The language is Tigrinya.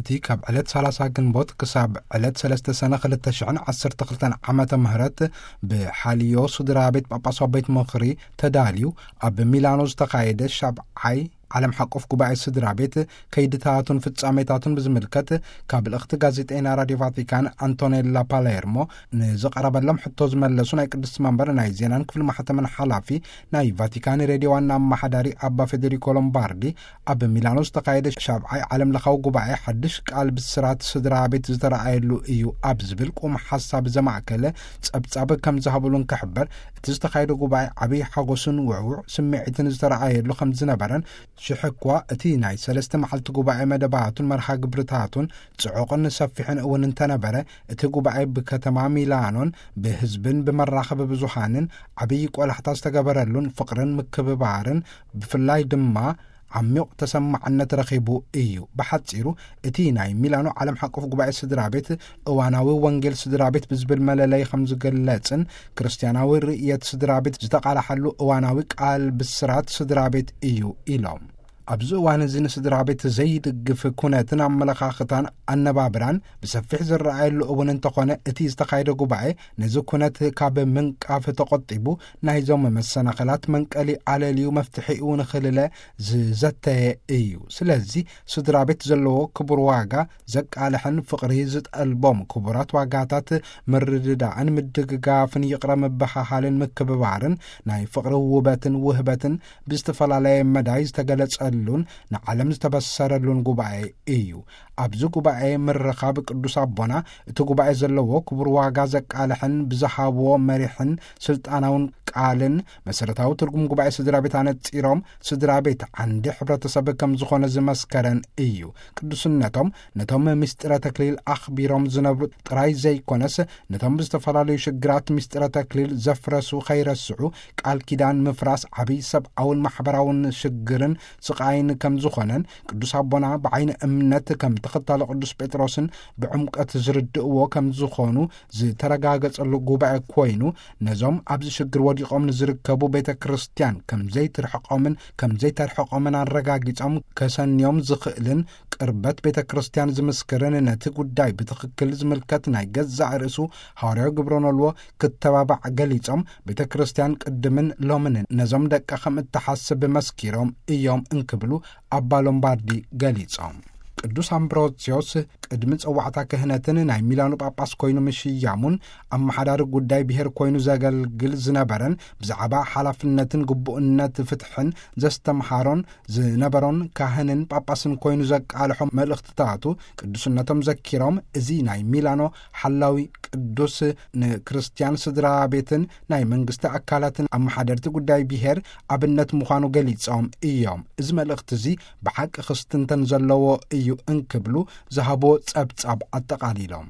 እቲ ካብ ዕለት ሰላሳ ግንቦት ክሳብ ዕለት ሰለስተ ሰነ ክልተ ሽሕን ዓሰርተ ክልተን ዓመተ ምህረት ብሓልዮ ስድራ ቤት ጳጳሳዊ ቤት ምኽሪ ተዳልዩ ኣብ ሚላኖ ዝተኻየደ ሻብዓይ ዓለም ሓቆፍ ጉባኤ ስድራ ቤት ከይድታቱን ፍጻሜታቱን ብዝምልከት ካብ ልእኽቲ ጋዜጠይና ራድዮ ቫቲካን ኣንቶኔላ ፓሌርሞ ንዝቐረበሎም ሕቶ ዝመለሱ ናይ ቅድስቲ መንበር ናይ ዜናን ክፍሊ ማሕተምን ሓላፊ ናይ ቫቲካን ሬድዮ ዋና ኣመሓዳሪ ኣባ ፌዴሪኮ ሎምባርዲ ኣብ ሚላኖ ዝተኻየደ ሻብዓይ ዓለም ለኻዊ ጉባኤ ሓድሽ ቃል ብስራት ስድራ ቤት ዝተረኣየሉ እዩ ኣብ ዝብል ቁም ሓሳብ ዘማእከለ ጸብጻብ ከም ዝሃብሉን ክሕበር እቲ ዝተኻየደ ጉባኤ ዓብይ ሓጎስን ውዕውዕ ስምዒትን ዝተረኣየሉ ከም ዝነበረን ሽሕ እኳ እቲ ናይ ሰለስተ መዓልቲ ጉባኤ መደባቱን መርሃ ግብርታቱን ጽዑቕን ሰፊሕን እውን እንተነበረ እቲ ጉባኤ ብከተማ ሚላኖን ብህዝብን ብመራኸቢ ብዙሃንን ዓብይ ቆላሕታ ዝተገበረሉን ፍቕርን ምክብባርን ብፍላይ ድማ ዓሚቕ ተሰማዕነት ረኺቡ እዩ። ብሓጺሩ እቲ ናይ ሚላኖ ዓለም ሓቆፍ ጉባኤ ስድራ ቤት እዋናዊ ወንጌል ስድራ ቤት ብዝብል መለለይ ከም ዝግለጽን ክርስቲያናዊ ርእየት ስድራ ቤት ዝተቓላሓሉ እዋናዊ ቃል ብስራት ስድራ ቤት እዩ ኢሎም። ኣብዚ እዋን እዚ ንስድራ ቤት ዘይድግፍ ኩነትን ኣመለኻኽታን ኣነባብራን ብሰፊሕ ዝረኣየሉ እውን እንተኾነ እቲ ዝተኻየደ ጉባኤ ነዚ ኩነት ካብ ምንቃፍ ተቖጢቡ ናይዞም መሰናኸላት መንቀሊ ኣለልዩ መፍትሒኡ ንኽልለ ዝዘተየ እዩ። ስለዚ ስድራ ቤት ዘለዎ ክቡር ዋጋ ዘቃልሕን ፍቕሪ ዝጠልቦም ክቡራት ዋጋታት ምርድዳእን ምድግጋፍን ይቕረ ምብሃሃልን ምክብባርን ናይ ፍቕሪ ውበትን ውህበትን ብዝተፈላለየ መዳይ ዝተገለጸሉን ንዓለም ዝተበሰረሉን ጉባኤ እዩ። ኣብዚ ጉባኤ ምርኻብ ቅዱስ ኣቦና እቲ ጉባኤ ዘለዎ ክቡር ዋጋ ዘቃልሕን ብዝሃብዎ መሪሕን ስልጣናውን ቃልን መሰረታዊ ትርጉም ጉባኤ ስድራ ቤት ኣነጺሮም ስድራ ቤት ዓንዲ ሕብረተሰብ ከም ዝኾነ ዝመስከረን እዩ። ቅዱስነቶም ነቶም ምስጢረ ተክሊል ኣኽቢሮም ዝነብሩ ጥራይ ዘይኮነስ ነቶም ብዝተፈላለዩ ሽግራት ምስጢረ ተክሊል ዘፍረሱ ከይረስዑ ቃል ኪዳን ምፍራስ ዓብይ ሰብኣውን ማሕበራውን ሽግርን ስቓይን ከም ዝኾነን ቅዱስ ኣቦና ብዓይኒ እምነት ከም ተኸታሊ ቅዱስ ጴጥሮስን ብዕምቀት ዝርድእዎ ከም ዝኾኑ ዝተረጋገጸሉ ጉባኤ ኮይኑ ነዞም ኣብዚ ሽግር ወዲቖም ንዝርከቡ ቤተ ክርስቲያን ከም ዘይትርሕቆምን ከም ዘይተርሕቆምን ኣረጋጊጾም ከሰንዮም ዝኽእልን ቅርበት ቤተ ክርስቲያን ዝምስክርን ነቲ ጉዳይ ብትኽክል ዝምልከት ናይ ገዛእ ርእሱ ሃዋርያዊ ግብረ ኖልዎ ክተባባዕ ገሊጾም ቤተ ክርስቲያን ቅድምን ሎምን ነዞም ደቃ ከም እትሓስብ መስኪሮም እዮም እንክብሉ ኣባ ሎምባርዲ ገሊጾም። ቅዱስ ኣምብሮስዮስ ቅድሚ ጸዋዕታ ክህነትን ናይ ሚላኖ ጳጳስ ኮይኑ ምሽያሙን ኣመሓዳሪ ጉዳይ ብሔር ኮይኑ ዘገልግል ዝነበረን ብዛዕባ ሓላፍነትን ግቡእነት ፍትሕን ዘስተምሃሮን ዝነበሮን ካህንን ጳጳስን ኮይኑ ዘቃልሖ መልእኽትታቱ ቅዱስነቶም ዘኪሮም እዚ ናይ ሚላኖ ሓላዊ ቅዱስ ንክርስትያን ስድራ ቤትን ናይ መንግስቲ ኣካላትን ኣመሓደርቲ ጉዳይ ብሔር ኣብነት ምዃኑ ገሊጾም እዮም። እዚ መልእኽቲ እዚ ብሓቂ ክስትንተን ዘለዎ እዩ እንክብሉ ዝሃብዎ ጸብጻብ ኣጠቓሊሎም።